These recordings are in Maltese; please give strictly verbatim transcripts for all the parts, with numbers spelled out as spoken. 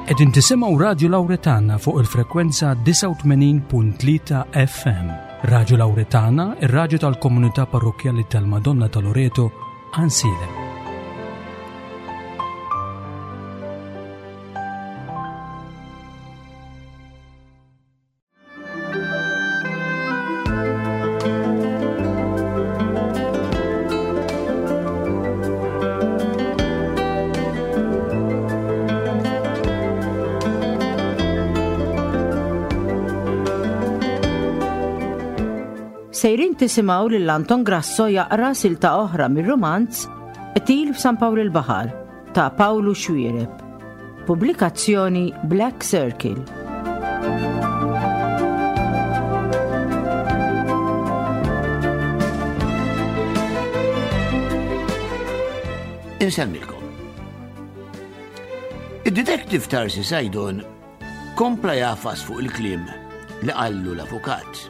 Qegħdin tisimgħu Radju Lawretana fuq il-frekwenza disgħa u tmenin punt tlieta F M. Radju Lawretana, ir-radju tal-komunità parrokkjali tal-Madonna ta' Loreto, Għajnsielem. Sejrin tisimgħu lil Anton Grasso jaqra silta oħra mir-romanz Qtil f'San Pawl il-Baħar ta' Pawlu Xuereb. Pubblikazzjoni Black Circle. Insemmilkom. Id-detective Tarsi Sajdon kompla jagħfas fuq il-kliem li qallu l-avukat.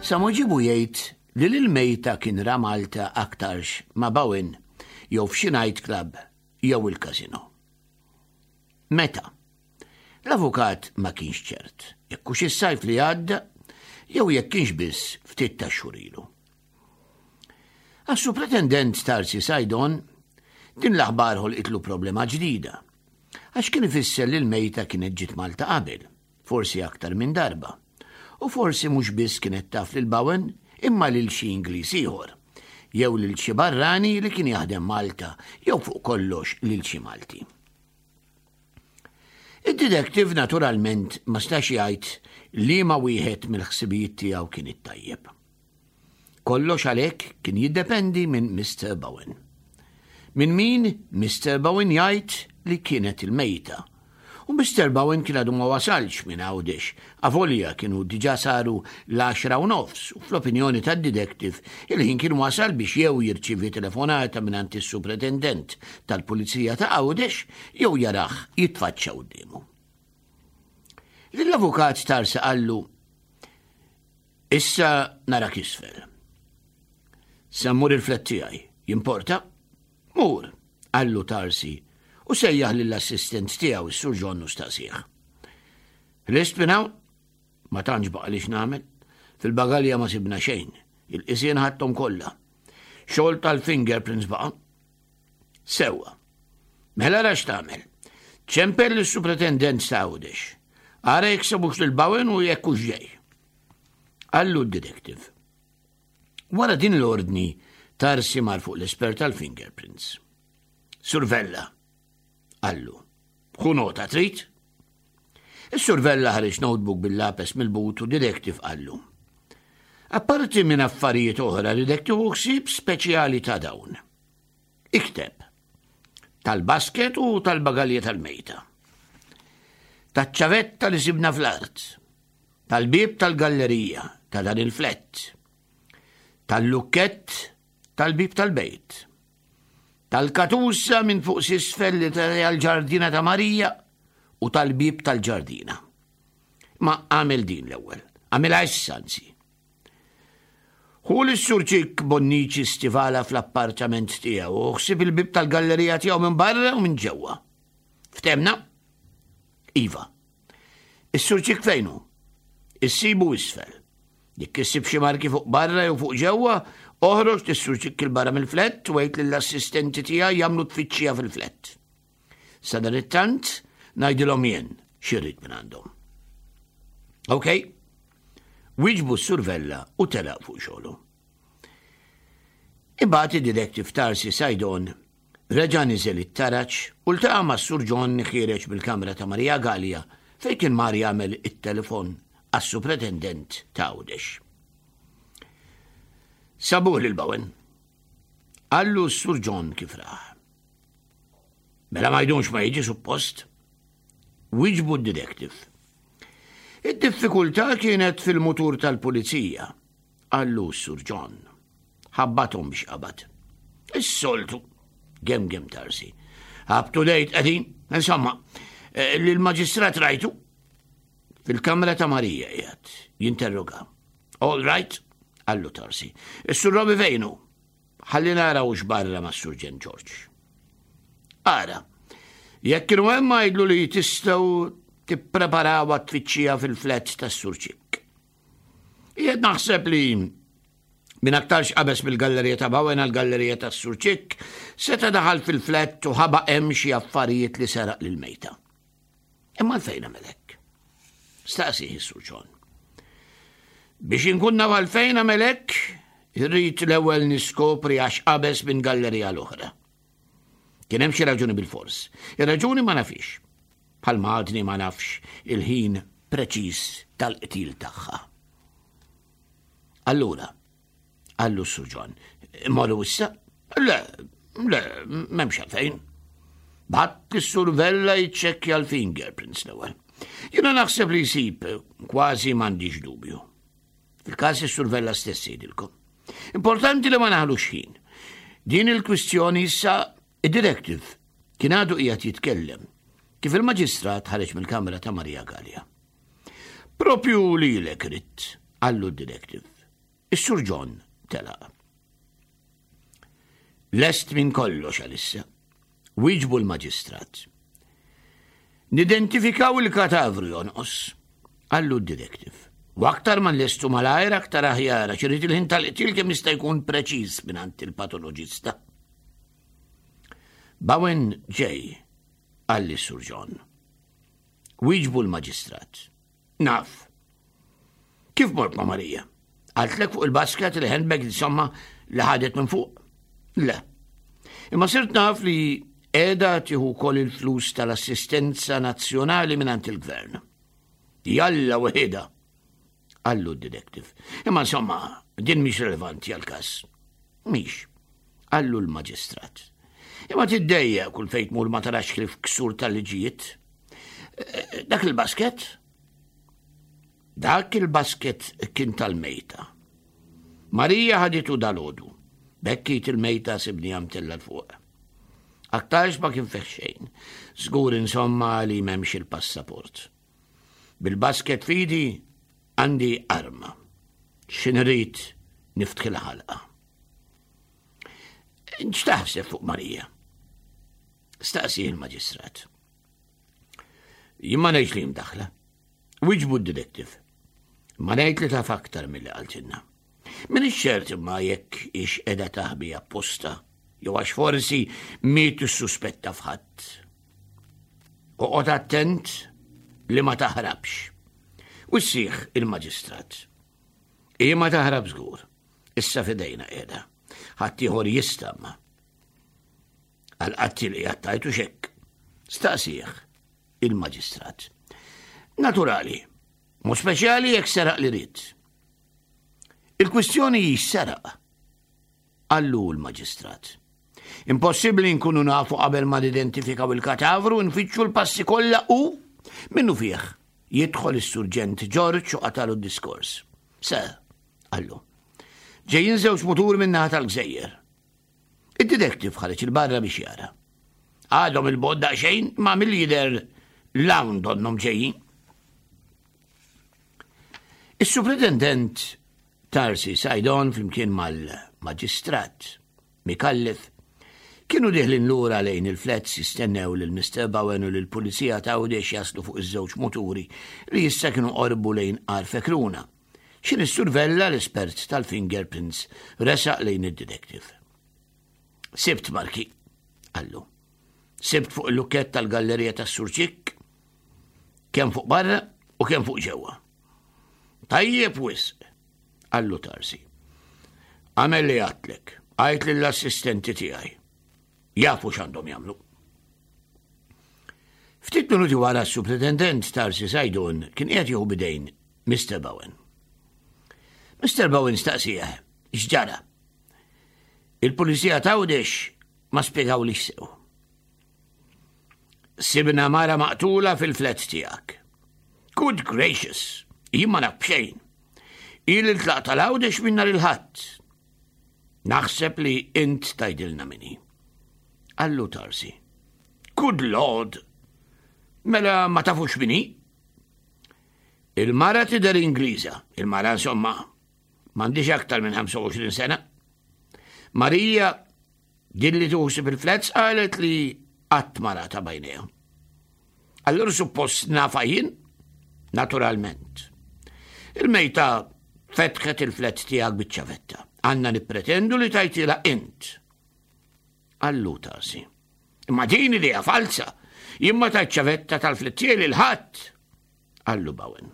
Sa ġibu jgħid li l-mejta kien ra Malta aktarx ma' Bowen jew f'xi night club jew il-casino. Meta? L-avukat ma kienx ċert, jekk hux is-sajf li għadda jew jekk kienx biss ftit ta' xhur ilu. Għas-supretendent Tarsi Sajdon, din l-aħbar ħolqitlu problema ġdida, għax kien ifisser li l-mejta kienet ġiet Malta qabel, forsi aktar minn darba, u forsi mhux biss kienet taf lil Bowen imma lil xi Ingliż ieħor, jew lil xi barrani li kien jaħdem Malta, jew fuq kollox lil xi Malti. Id-detective naturalment ma stax jgħid li ma wieħed mill-ħsibijiet tiegħu kien it-tajjeb. Kollox għalhekk kien jiddependi minn Mister Bowen. Minn min Mister Bowen jgħid li kienet il-mejta. U Mister Bowen kien għadu ma wasalx minn Għawdex, avolja kienu diġa saru l-għaxra u nofs, u fl-opinjoni tad-detective il-ħin kien wasal biex jew jirċivi telefonata minn is-supretendent tal-Pulizija ta' Għawdex jew jarah jitfaċċa quddiemu. L-avukat Tarsi qallu, "Issa narak isfel. Se mmur il-flat tiegħi, jimporta?" "Mur," qallu Tarsi u sejjaħ lill-assistent tiegħu is-Sur John u staqsieh. "Lest minn hawn?" "Ma tantx baqa' li x'nagħmel. Fil-bagalja ma sibna xejn. Il-qisien ħadthom kollha. Xogħol tal-fingerprints baqa'." "Sewwa. Mela ra x'tagħmel. Ċempel lis-supretendent ta' Għawdex. Ara jekk sabux lil Bowen u jekk hux ġej," qallu d-detective. Wara din l-ordni, Tarsi mar fuq l-espert tal-fingerprints. "Sur Vella," qallu. "Ħu nota, trid?" Is-Sur Vella ħareġ notebook bil-lapes mill-but u detective qallu, "Apparti minn affarijiet oħra li tieħu ħsieb speċjali ta' dawn. Ikteb. Tal-basket u tal-bagalja tal-mejta. Taċ-ċavetta li sibna fl-art. Tal-bib tal-gallerija ta' dan il-flat. Tal-lukkett tal-bib tal-bejt. Tal-katusa minn fuq s'isfel li tal-ġardina ta' Marija u tal-bib tal-ġardina. Ma għamel din l-ewwel, għamilha issa anzi. Ħu lis-Sur Ċikk Bonnici Stivala fl-appartament tiegħu u ħsib il-bib tal-gallerija tiegħu minn barra u minn ġewwa. Ftehmna?" "Iva." "Is-Sur Ċikk fejn hu?" "Issibu isfel. Jekk issib xi marki fuq barra jew fuq ġewwa, oħroġ lis-Sur Ċikk 'il barra mill-flat u għid lill-assistenti tiegħi jagħmlu tfittxija fil-flat. Sadanittant ngħidilhom jien x'irrid minn għandhom." "Ok?" Wieġbu s-Sur Vella u telaq fuq xogħlu. Imbagħad id-detective Tarsi Sajdon reġa' niżel it-taraġ u ltaqa' mas-Sur John ħiereġ mill-kamra ta' Maria Gallia fejn kien mar jagħmel it-telefon għas-supretendent ta' Għawdex. "Sabuh lil Bowen," qallu s-Sur John kif rah. "Mela ma jdumx ma jiġi suppost," wieġbu d-detective. "Id-diffikultà kienet fil-mutur tal-pulizija," qallu s-Sur John. "Ħabbathom biex qabad." "Is-soltu," gemgem Tarsi. "Up to date qegħdin, insomma, eh, l-maġistrat rajtu?" "Fil-kamra ta' Marija qiegħed jinterroga." "All right," qallu Tarsi. "Is-Sur Robi fejn hu?" "Ħalli nara hux barra ma' Surġent George." "Ara, Jekk kienu hemm, għidlu li tistgħu tippreparaw għat-tfittxija fil-flat tas-Sur Ċikk. Qiegħed naħseb li min aktarx qabeż mill-gallerija ta' Bowen għal-gallerija tas-Sur Ċikk seta' daħal fil-flat u ħaba hemm xi affarijiet li seraq lil mejta. Imma għalfejn għamel hekk? Staqsieh is-Sur John. Biex inkun naf għalfejn għamel hekk, irrid l-ewwel niskopri għax qabeż minn gallerija l-oħra. Kien hemm xi raġuni bil-fors. Ir-raġuni ma nafix. Bħalma għadni ma nafx il-ħin preċiż tal-qtil tagħha. Allura, qallu s-Sur John, morru issa? Le, le, m'hemmx għalfejn. Ibgħat lis-Sur Vella jiċċekkja l-fingerprints l-ewwel. Jiena naħseb li jsib, kważi m'għandix dubju. Fil-każ is-Sur Vella stess jgħidilkom. Importanti li ma naħlux ħin. Din il-kwistjoni issa. Id-detective kien għadu qiegħed jitkellem kif il-maġistrat ħareġ mill-kamra ta' Maria Gallia. "Propju lilek ridt," qallu d-detective. Is-Sur John telaq. "Lest minn kollox għalissa," wieġbu l-maġistrat. "Nidentifikaw il-katavru jonqos," qallu d-detective. "U aktar ma nlestu malajr aktar aħjar, għax irrid il-ħin tal-qtil kemm jista' jkun preċiż mingħand il-patoloġista." "Bowen ġej," qalli Sur John. Wieġbu l-maġistrat. "Naf." "Kif mort ma' Marija? Qaltlek fuq il-basket, il-handbag, insomma, li ħadet minn fuq?" "Le. Imma sirt naf li qiegħda tieħu wkoll il-flus tal-assistenza nazzjonali minn il-gvern." "Jalla weħida," qallu d-detective. "Imma insomma, din mhix relevanti għal-każ." "Mhix," qallu l-maġistrat. "Imma tiddejjaq kull fejn tmur ma tarax ħlief ksur tal-liġijiet. Eh, dak il-basket? Dak il-basket kien tal-mejta. Marija ħaditu dalgħodu. B'hekk il-mejta sibnieha mtellgħa 'l fuq. Aktarx ma kien fih xejn. Żgur insomma li m'hemmx il-passaport. Bil-basket f'idi għandi arma. X'ħin irrid niftħilha ħalqha. X'taħseb fuq Marija?" staqsieh il-maġistrat. "Jien ma ngħidx li mdaħħla," wieġbu d-detective. "Ma ngħid li taf aktar milli qaltilna. M'iniex ċert imma jekk hix qiegħda taħbi apposta, jew għax forsi mhi tissuspetta f'ħadd. Oqgħod attent li ma taħrabx," wissieh il-maġistrat. "Hi ma taħrab żgur. Issa f'idejna qiegħda. Ħadd ieħor jista' ma." "Għal-qattiel li għattajtu xek?" staqsieh il-maġistrat. "Naturali, mhu speċjali jekk seraq li ried." "Il-kwistjoni seraq," qallu l-maġistrat. "Impossibbli nkunu nafu qabel ma nidentifikaw il-katavru, nfittxu l-passi kollha u minnu fih." Jidħol is-surġent George u qatagħlu d-diskors. "Sir," qallu. "Ġejjin żewġ mutur min-naħa tal-gżejjer." Id-detective ħareġ 'il barra biex jara. "Għadhom 'il bogħod daqsxejn, ma mill-jidher 'l hawn donnhom ġejjin." Is-superintendent Tarsi Saydon flimkien mal-maġistrat Micallef kienu deħlin lura lejn il-flats jistennew lil Mister Bowen u l-pulizija ta' Għawdex jaslu fuq iż-żewġ muturi li issa kienu qorbu lejn Għar Fekruna. X'ħin is-Sur Vella, l-espert tal-fingerprints, resaq lejn id-detective. "Sibt marki," qallu. "Sibt fuq il-lukkett tal-gallerija tas-Sur Ċikk, kemm fuq barra u kemm fuq ġewwa." "Tajjeb wisq," qallu Tarsi. "Agħmel li għedtlek, għid lill-assistenti tiegħi. Jafu x'għandhom jagħmlu." Ftit minuti wara s-superintendent Tarsi Saydon kien qiegħed jieħu b'idejn Mister Bowen. Mister Bowen staqsieh x'ġara. "Il-pulizija t'Għawdex ma spjegawlix sew. Sibna mara maqtula fil-flat tiegħek." "Good gracious, jien ma naf b'xejn. Ili tlaqt għal Għawdex minn nhar il-Ħadd." "Naħseb li int tgħidilna min hi," qallu Tarsi. "Good Lord, mela ma tafux min hi?" "Il-mara tidher Ingliża, il-mara insomma, m'għandhiex aktar minn ħamsa u għoxrin sena. Marija, din li tieħu ħsieb il-flats, qalet li Qatt ma rata b'għajnejha. Allura suppost nafha jien? Naturalment. Il-mejta fetħet il-flat tiegħek biċ-ċavetta. Għandna nippretendu li tajtilha int. Qallu Tarsi. Imma din idea falsa. Jien ma tajt ċavetta tal-flat tiegħi lil ħadd. Qallu Bowen.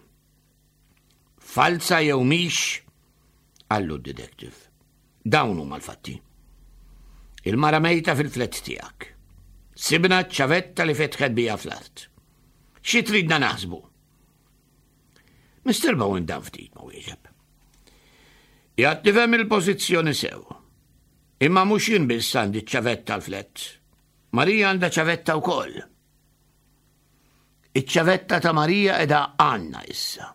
Falsa jew mhix? Qallu d-detective. Dawn huma l-fatti. Il-mara mejta fil-flat tiegħek. Sibna ċavetta li fetħet bija fl-art. Xi tridna naħsbu? Mister Bowen dam ftit ma wieġeb. Jgħat nifhem il-pożizzjoni sew. Imma mhux jien biss għandi ċavetta l-flat. Marija għandha ċavetta wkoll. Iċ-ċavetta ta' Marija qiegħda għandna issa.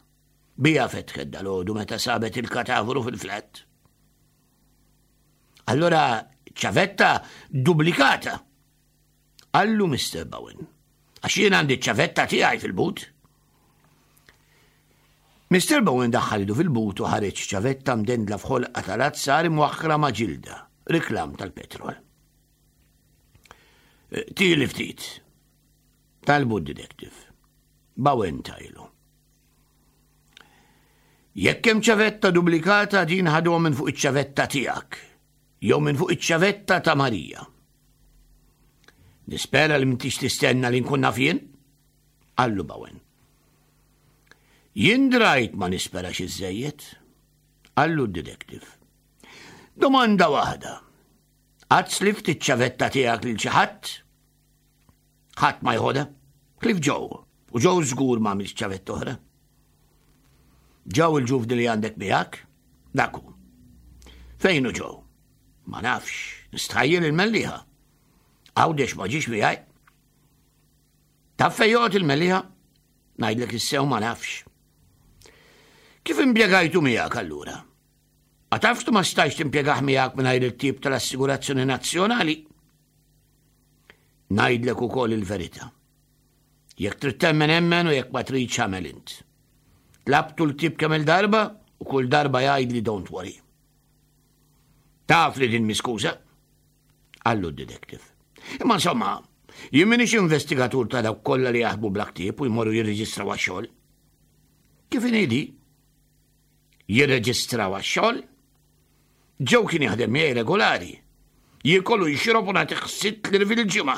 Bija fetħet dalgħodu meta sabet il-katavru fil-flat. Allora ċavetta duplikata. Qallu Mister Bowen. Għax jien għandi ċavetta tiegħi fil-but. Mister Bowen daħħal idu fil-but u ħareġ ċavetta mdendla f'ħolqa tal-azzar imwaħħra ma' ġilda, riklam tal-petrol. Tili ftit. Talbu d-detective. Bowen tajlu. Jekk hemm ċavetta duplikata din ħaduha minn fuq iċ-ċavetta tiegħek, jew minn fuq iċ-ċavetta ta' Marija. Nispera li m'intix tistenna li nkun naf jien? Qallu Bowen. Jien drajt ma nisperax iżżejjed, qallu d-detective. Domanda waħda. Qatt slift iċ-ċavetta tiegħek lil xi ħadd? Ħadd ma jħodha? Ħlief Joe, u Joe żgur ma għamilx ċavetta oħra. Joe il-ġuvni li għandek miegħek? Dak hu. Fejn hu Joe? Ma nafx, nistħajjel il-Mellieħa. Għawdex ma ġiex miegħi. Taf fejn joqgħod il-Mellieħa? Ngħidlek issew ma nafx. Kif impjegajtu miegħek allura? Ma tafx tu ma stajx timpjegah miegħek mingħajr il-tip tal-Assigurazzjoni Nazzjonali? Ngħidlek ukoll il-verità. Jekk trid temmen emmen u jekk ma tridx għamel int. Tlabtu l-tip kemm il-darba u kull darba jgħidli don't worry. Taf li din miskuża? Qallu d-detective. Imma insomma, jien m'iniex investigatur ta' dawk kollha li jaħdmu bla ktieb u jmorru jirreġistraw għax-xogħol. Kif inhi? Jirreġistraw għax-xogħol? Joe kien jaħdem miegħi regolari. Jiekol u jixrob u nagħtih sitt liri fil-ġimgħa.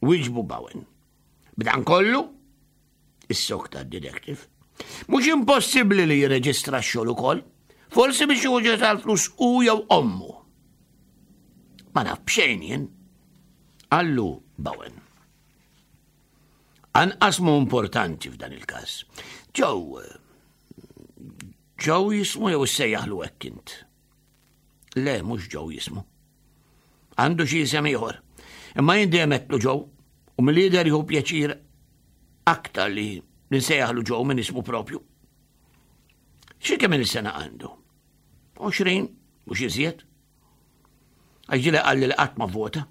Wieġbu Bowen. B'dan kollu, issokta d-detective. Mhux impossibbli li jirreġistra x-xogħol ukoll. Forsi biex juġa tal-flus u jew ommu. Ma naf b'xejn jien. Qallu Bowen. Anqas mu importanti f'dan il-każ. Joe, Joe jismu jew issejjaħlu hekk int? Le, mhux Joe jismu. Għandu xi isem ieħor. Imma jien dejjem għedtlu Joe u mill-lider jieħu pjaċir aktar li nsejjaħlu Joe minn ismu propju. Xi kemm il-sena għandu? Għoxrin, mhux iżjed. Għax ġieli qalli li qatt ma vvota.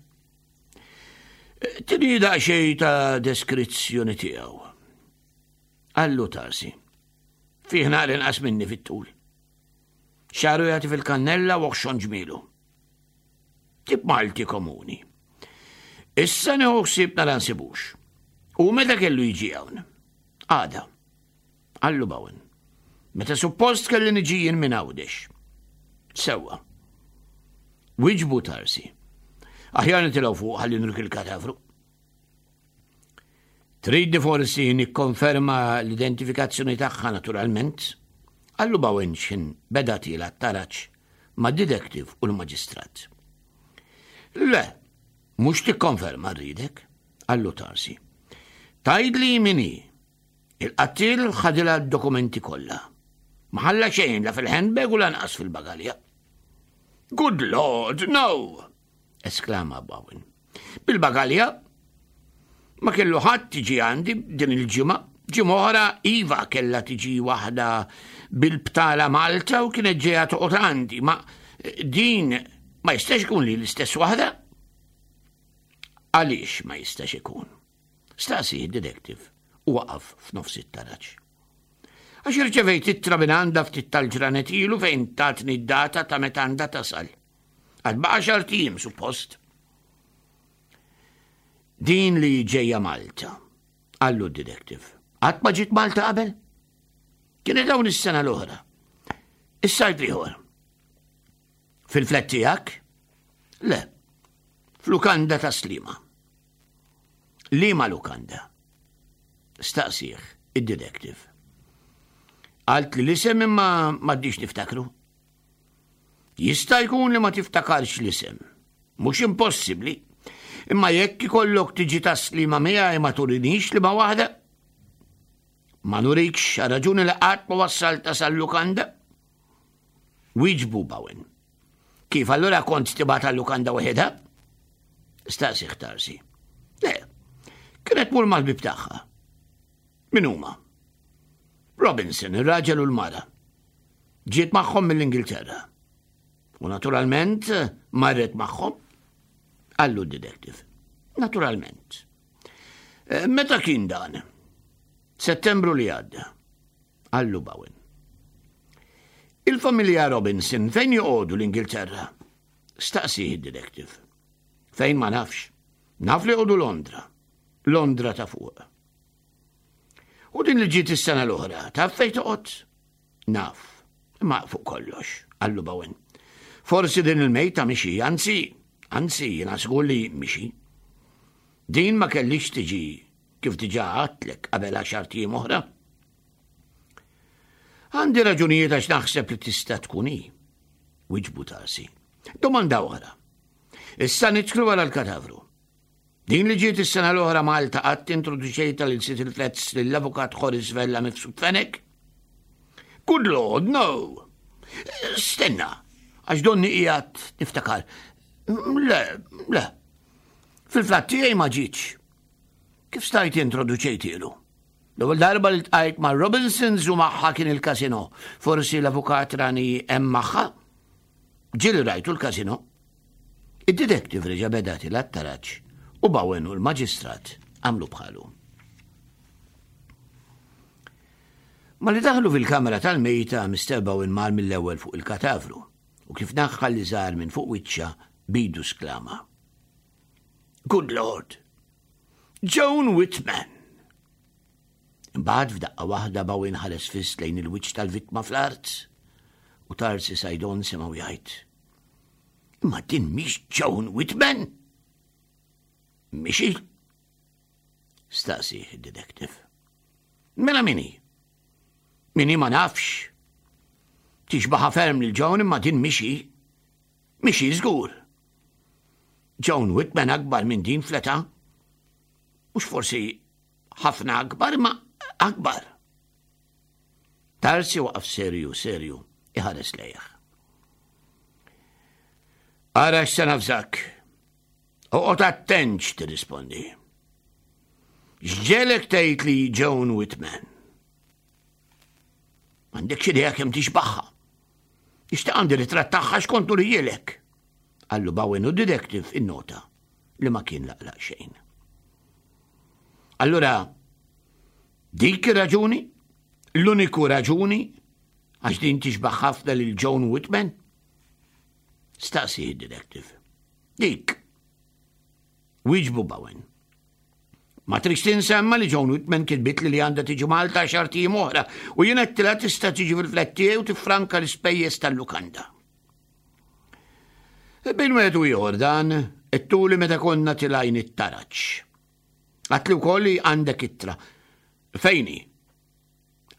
Tini daqsxejn ta' deskrizzjoni tiegħu. Qallu Tarsi. Fih naqra inqas minni fit-tul. Xagħru jagħti fil-kannella u oħxon ġmielu. Tip Malti komuni. Issa nieħu ħsieb nara nsibux. U meta kellu jiġi hawn? Għada. Qallu Bowen. Meta suppost kelli niġi jien minn Għawdex. Sewwa. Wieġbu Tarsi. Aħjar nitilgħu fuq ħalli nurik il-katavru. Tridni forsi nikkonferma l-identifikazzjoni tagħha naturalment. Qallu Bowen x'ħin beda tiela' t-taraġ ma' detective u l-maġistrat. Le, mhux tikkonferma rridek, qallu Tarsi. Tgħidli min hi. Il-qattil ħadilha d-dokumenti kollha. Ma ħalla xejn la fil-handbag u lanqas fil-bagalja. Good Lord, no! Esklama Bowen. Bil-bagalja ma kellu ħadd tiġi għandi din il-ġimgħa. Ġimgħa oħra iva kellha tiġi waħda bil-btala Malta u kienet ġejja toqgħod għandi, ma din ma jistax ikun li l-istess waħda? Għaliex ma jistax ikun? Staqsi d-detective u waqaf f'nofs it-taraġ. Għax irċevejt ittra minn għandha ftit tal-ġranet ilu fejn tatni d-data ta' meta għandha tasal. Għad baqa' xahar ijiem, suppost. Din li ġejja Malta, qallu d-detective. Qatt ma ġiet Malta qabel? Kienet hawn is-sena l-oħra. Is-sajf l-ieħor. Fil-flat tiegħek? Le. F'lukanda ta' Sliema. Liema lukanda? Staqsieh id-detective. Qaltli l-isem imma m'għadnix niftakru. Jista' jkun li ma tiftakarx l-isem. Mhux impossibbli. Imma jekk ikollok tiġi Tas-Sliema miegħi ma turinix liema waħda. Ma nurikx raġuni li qatt ma wassalta sal-lukanda. Wieġbu Bowen. Kif allura kont tibgħatha l-lukanda waħedha? Staqsieh Tarsi. Le, kienet tmur mal-ħbieb tagħha. Min huma? Robinson, ir-raġel u l-mara. Ġiet magħhom mill-Ingilterra. U naturalment marret magħhom. Qallu d-detective. Naturalment. Eh, meta kien dan? Settembru li għadda. Qallu Bowen. Il-familja Robinson fejn joqogħdu l-Ingilterra? Staqsieh id-detective. Fejn ma nafx. Naf li joqogħdu Londra. Londra ta' fuq. U din li ġiet is-sena l-oħra, taf fejn toqgħod? Naf. Ma fuq kollox, qallu Bowen. Forsi din il-mejta mhix hi, anzi, anzi, jiena żgur li mhix hi. Din ma kellhiex tiġi kif diġà għedtlek qabel għaxart ijiem oħra. Għandi raġunijiet għax naħseb li tista' tkun hi. Wieġbu Tarsi. Domanda oħra. Issa nidħlu għal l-katavru. Din li ġiet is-sena l-oħra Malta qatt introduċejta lil sid il-flats lill-avukat Horace Vella Mifsud Fenech? Good Lord, no! Stenna, għax donni qiegħed niftakar. Le, le. Fil-flat tiegħi ma ġietx. Kif stajt introduċejtielu? L-ewwel darba li ltqajt ma' Robinsons u magħha kien il-kasino. Forsi l-avukat rani hemm magħha? Ġieli rajtu l-kasino. Id-detective reġa' beda tela' t-taraġ u Bowen u l-maġistrat għamlu bħalu. Malli daħlu fil-kamra tal-mejta, Mister Bowen mar mill-ewwel fuq il-katavru u kif naħħa l-liżar minn fuq wiċċha bidu sklama. Good Lord! Joan Whitman! Imbagħad f'daqqa waħda Bowen ħares fiss lejn il-wiċċ tal-vittma fl-art u Tarsi Saydon semgħu jgħid. Imma din mhix Joan Whitman? Mhix hi? Staqsieh id-detective. Mela min hi? Min hi ma nafx. Tixbaha ferm lil Joan imma din mhix hi. Mhix hi żgur. Joan Whitman akbar minn din fl-età. Mhux forsi ħafna akbar, ma akbar. Tarsi waqaf serju, serju, iħares lejh. Ara x'se nafżak. Oqgħod attent x'tirrispondi. X'ġegħlek tgħid li Joan Whitman? M'għandekx idea kemm tixbaħha. Ixtaq għandi ritratt tagħha x'kont nurihielek. Qallu Bowen u detective innota li ma kien laqlaq xejn. Allura, dik raġuni? L-uniku raġuni? Għax din tixbaħ ħafna lil Joan Whitman? Staqsi id-detective. Dik. Wieġbu Bowen. Ma tridx tinsa imma li Joan Whitman kitbitli li għandha tiġi Malta għaxart ijiem oħra u jien għedtilha tista' tiġi fil-flat tiegħi u tiffranka l-ispejjeż tal-lukanda. Bejn wieħed u ieħor dan għedtuli meta konna tilajn it-taraġ. Għedtli wkoll li għandek ittra. Fejn hi?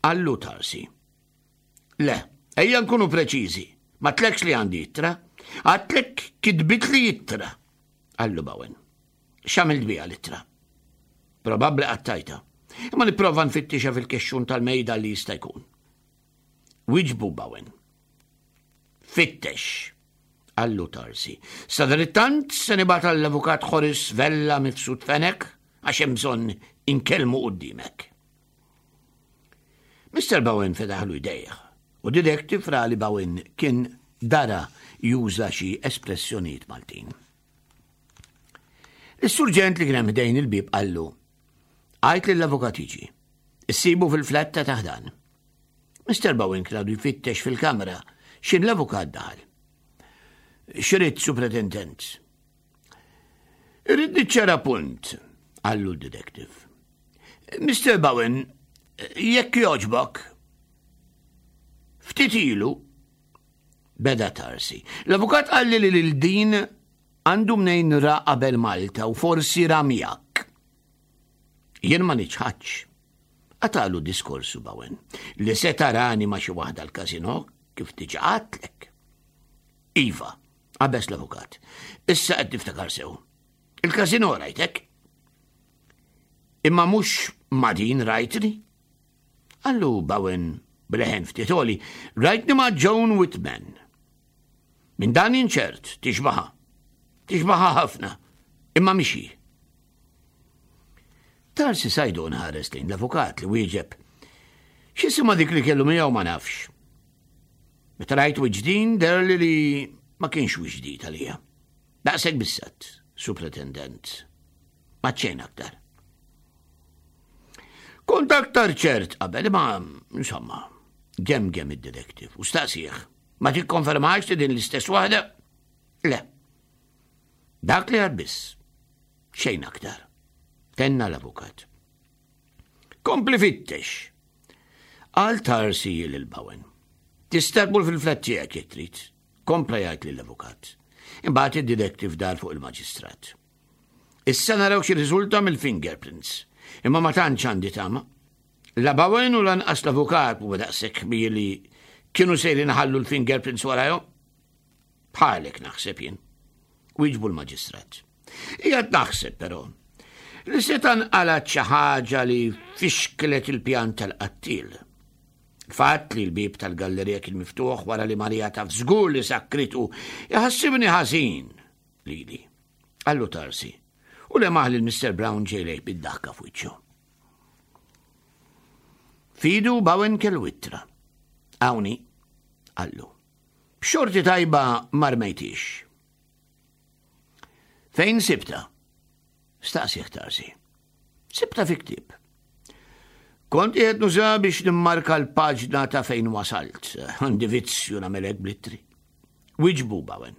Qallu Tarsi. Le, ejja nkunu preċiżi. Ma għedtlekx li għandi ittra. Għedtlek kitbitli ittra. Qallu Bowen. X'għamilt biha l-ittra? Probabbli qattajtha. Imma nipprova nfittixa fil-kexxun tal-mejda li jista' jkun. Wieġbu Bowen. Fittex, qallu Tarsi. Sadanittant se nibgħat għall-avukat Horace Vella Mifsud Fenech għax hemm bżonn inkellmu qudiemek. Mister Bowen fetaħlu jdejh u detective ra li Bowen kien dara juża xi espressjonijiet Maltin. Is-surġent li kien hemm ħdejn il-bieb qallu, għajt lill-avukat jiġi, issibu fil-flat ta' taħdan. Mister Bowen kien għadu jfittex fil-kamra x'in l-avukat daħal. X'ridt, superintendent? Irrid niċċara punt. Qallu d-detective. Mister Bowen, jekk jogħġbok. Ftit ilu, beda Tarsi. L-avukat qalli li lil din għandu mnejn ra qabel Malta u forsi ra miegħek. Jien ma niċħadx. Qatagħlu diskorsu Bowen li se tarani ma' xi waħda l-kazino kif diġà għedtlek. Iva, qabeż l-avukat. Issa qed niftakar sew. Il-kazino rajtek? Imma mhux ma' din rajtni? Qallu Bowen b'leħen ftit għoli, rajtni ma' Joan Whitman. Minn dan inċert, tixbaha. Tixbaha ħafna, imma mhix hi. Tarsi Sajdon ħares lejn l-avukat li wieġeb. X'jisimha dik li kellu miegħu ma nafx. Meta rajt wiċċ din deherli li ma kienx wiċċ ġdid għalija. Daqshekk biss għedt, Superintendent. Ma xejn aktar. Kont aktar ċert qabel, ma insomma, gemgem id-detective u staqsieh. Ma tikkonfermax li din l-istess waħda? Le. Dak li għedt biss. Xejn aktar. Tenna l-avukat. Kompli fittex. Qal Tarsi lil Bowen. Tista' tmur fil-flat tiegħek jekk trid. Kompla jgħid lill-avukat. Imbagħad id-detective dar fuq il-maġistrat. Issa naraw xi riżulta mill-fingerprints. Imma ma tantx għandi tama. La Bowen u lanqas l-avukat u daqshekk li kienu sejrin ħallu l-fingerprints warajhom. Bħalek naħseb jien. Wieġbu l-maġistrat. Qiegħed naħseb però li seta' nqalgħet xi ħaġa li fixklet il-pjan tal-qattil. Fatt li l-bib tal-gallerija kien miftuħ wara li Marija taf żgur li sakkritu jħassibni ħażin lili. Qallu Tarsi. U lemaħ li Mister Brown ġej lejh bid-daħka f'wiċċu. F'idu Bowen kellu ittra. Hawn hi, qallu. B'xorti tajba ma rmejthiex. Fejn sibtha? Staqsieh Tarsi. Sibtha fi ktieb. Kont qiegħed nuża biex nimmarka l-paġna ta' fejn wasalt. Għandi vizzju nagħmel hekk bl-ittri. Wieġbu Bowen.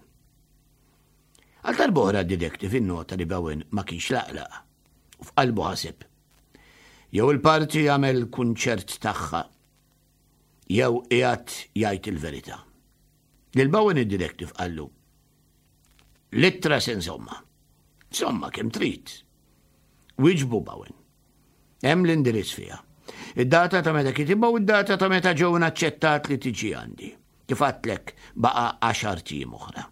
Għal darb'oħra d-detective innota li Bowen ma kienx laqlaq. U f'qalbu ħaseb. Jew il-parti jagħmel kunċert tagħha, jew qiegħed jgħid il-verità. Lil Bowen id-detective qallu. L-ittra se nżommha. Żommha kemm trid. Wieġbu Bowen. Hemm l-indirizz fiha. Id-data ta' meta kitibha u id-data ta' meta Joan aċċettat li tiġi għandi. Kif għedtlek baqa' għaxart ijiem oħra.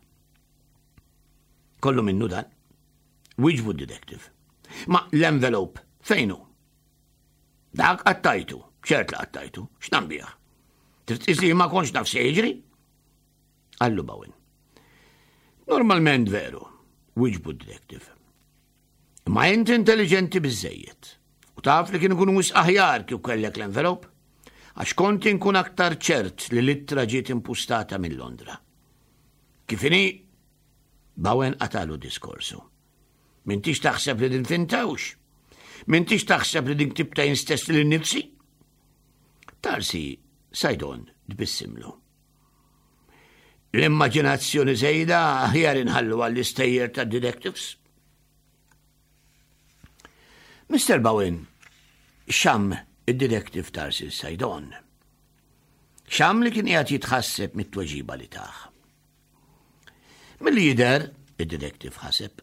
Kollu minnu dan. Wieġbu d-detective. Ma l-envelope, fejn hu? Dak qattajtu, ċert li qattajtu, x'nagħmel bih? Trid li ma kontx naf se jiġri? Qallu Bowen. Normalment veru, wieġbu d-detective. Ma inti intelligenti biżżejjed. U taf li kien ikun wisq aħjar kif kellek l-envelope? Għax kont inkun aktar ċert li l-ittra ġiet impustata minn Londra. Kif inhi? Bowen qatagħlu diskorsu. M'intix taħseb li din finta hux? M'intix taħseb li din ktibtha jien stess lili nnifsi? Tarsi Sajdon tbissimlu. L-immaġinazzjoni żejda aħjar inħallu għall-istejjer ta' detectives. Mister Bowen xamm id-detective Tarsi Sajdon. Xamm li kien qiegħed jitħasseb mit-tweġiba li tah. Milli jidher, id-detective ħaseb,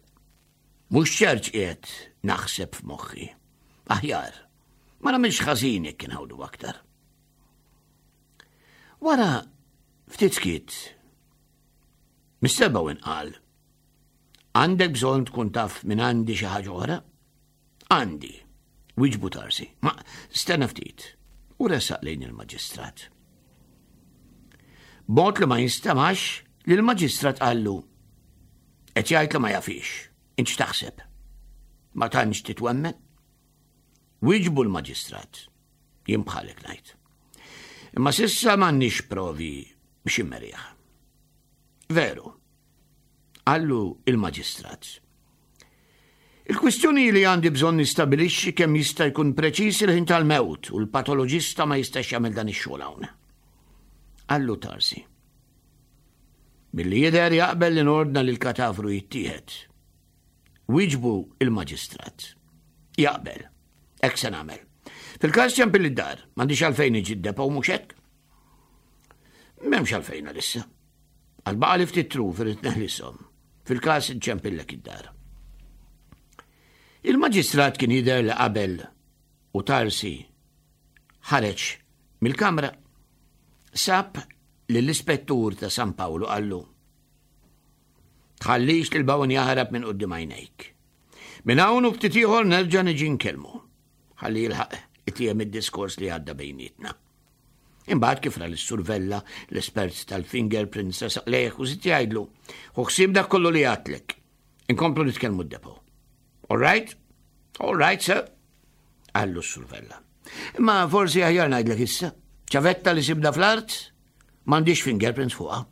mhux ċert qiegħed naħseb f'moħħi. Aħjar, ma nagħmilx ħażin jekk inħawdu aktar. Wara ftit skiet, Mister Bowen qal, għandek bżonn tkun taf minn għandi xi ħaġa oħra? Għandi, wieġbu Tarsi, ma stenna ftit, u resaq lejn il-maġistrat. B'mod li ma jinstemax li l-maġistrat qallu, qed jgħid li ma jafhiex, int x'taħseb? Ma tantx titwemmen? Wieġbu l-maġistrat, jien bħalek ngħid. Imma s'issa m'għandniex provi biex immerih. Veru, qallu il-maġistrat. Il-kwistjoni li għandi bżonn nistabilixxi kemm jista' jkun preċiż il-ħin tal-mewt u l-patoloġista ma jistax jagħmel dan ix-xogħol hawn. Qallu Tarsi. Milli jidher jaqbel li nordna li l-katavru jittieħed. Wieġbu il-maġistrat. Jaqbel. Hekk se nagħmel. Fil-każ ċempilli d-dar, m'għandix għalfejn niġi d-depot mhux hekk? M'hemmx għalfejn għalissa. Għad baqagħli ftit truf irrid neħlishom. Fil-każ inċempillek id-dar. Il-maġistrat kien jidher li qabel u Tarsi ħareġ mill-kamra. Sab lill-ispettur ta' San Pawlu qallu: Tħallix lil Bowen jaħrab minn quddiem għajnejk. Minn hawn u ftit ieħor nerġa' niġi nkellmu. Ħalli jilħaq itiem id-diskors li għadda bejnietna. Imbagħad kif ra lis-Sur Vella, l-espert tal-fingerprints resaq lejh u żied jgħidlu, ħu ħsieb dak kollu li għedtlek. Inkomplu nitkellmu d-depot. All right? All right, sir. Qallu s-Sur Vella. Imma forsi aħjar ngħidlek issa. Ċavetta li sibna fl-art, m'għandix fingerprints fuqha.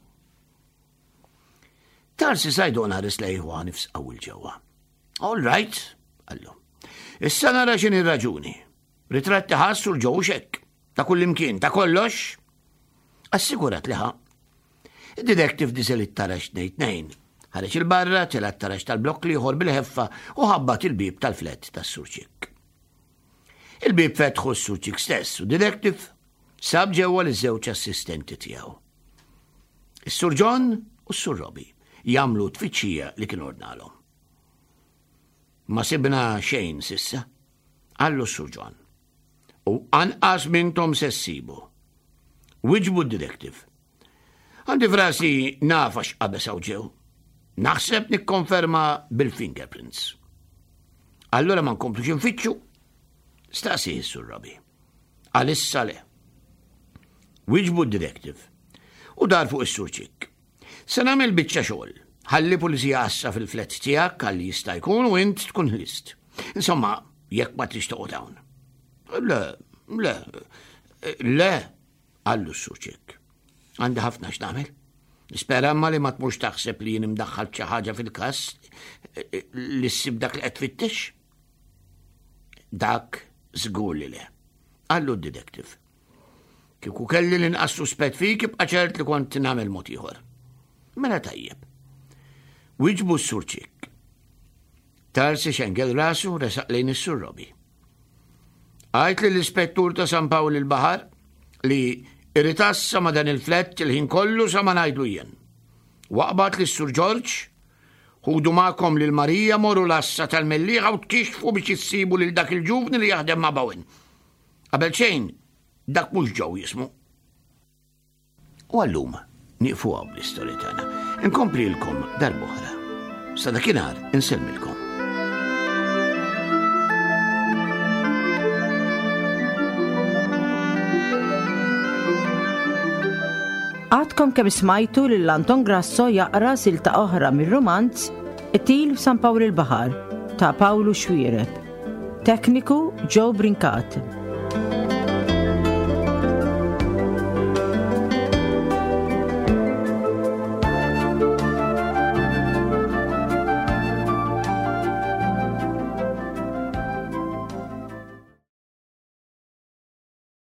Tarsi Saydon ħares lejh u nifs qawwi 'l ġewwa. All right, qallu. Issa nara x'inhi raġuni. Ritratti ħa s-Sur Joe xek. Ta' kull imkien, ta' kollox. Assigurat li ħa. Id-detective niżel it-taraġ tnejn tnejn. Ħareġ 'il barra, tela' t-taraġ tal-blokk l-ieħor bil-ħeffa u ħabbat il-bib tal-flat tas-Sur Ċikk. Il-bib fetħu s-Sur Ċikk stess u detective sab ġewwa l-żewġ assistenti tiegħu. Is-Sur John u s-Sur Robbie jagħmlu tfittxija li kien ordnalhom. Ma sibna xejn s'issa, qallu s-Sur John. U anqas m'intom se ssibu. Wieġbu d-detective. Għandi f'rasi naf x'qabeż hawn ġew. Naħseb nikkonferma bil-fingerprints. Allora ma nkomplux nfittxu? Staqsi s-Sur Robbie. Għalissa le. Wieġbu d-detective. U dar fuq is-Sur Ċikk. Se nagħmel biċċa xogħol. Ħalli pulizija għassa fil-flat tiegħek għalli jista' jkun u int tkun ħlist. Insomma, jekk ma tridx toqgħod hawn. Le, le, le, qallu s-Sur Ċikk. Għandi ħafna x'nagħmel. Nispera ma li ma tmurx taħseb li jien imdaħħal xi ħaġa fil-każ li ssib dak li qed tfittex. Dak żgur li le. Qallu d-detective. Kieku kelli l-inqas suspett fik ibqa' ċert li kont nagħmel mod ieħor. Mela tajjeb. Wieġbu s-Sur Ċikk. Tarsi xengel rasu resaq lejn is-Sur Robbie. Għid lill-ispettur ta' San Pawl il-Baħar li jrid għassa ma' dan il-flat il-ħin kollu sa ma ngħidlu jien. Aqbad lis-Sur George, ħudu magħkom lil Marija morru l-għassa tal-Mellieħa u tkixxfu biex issibu lil dak il-ġuvni li jaħdem ma' Bowen. Qabel xejn, dak mhux Joe jismu. U għallum, nieqfu hawn bl-istorja tagħna. Inkomplilkom darb'oħra. Sa dakinhar insellmilkom. Għadkom kemm smajtu lil Anton Grasso jaqra silta oħra mir-romanz Qtil f'San Pawl il-Baħar ta' Pawlu Xuereb. Tekniku Joe Brincat.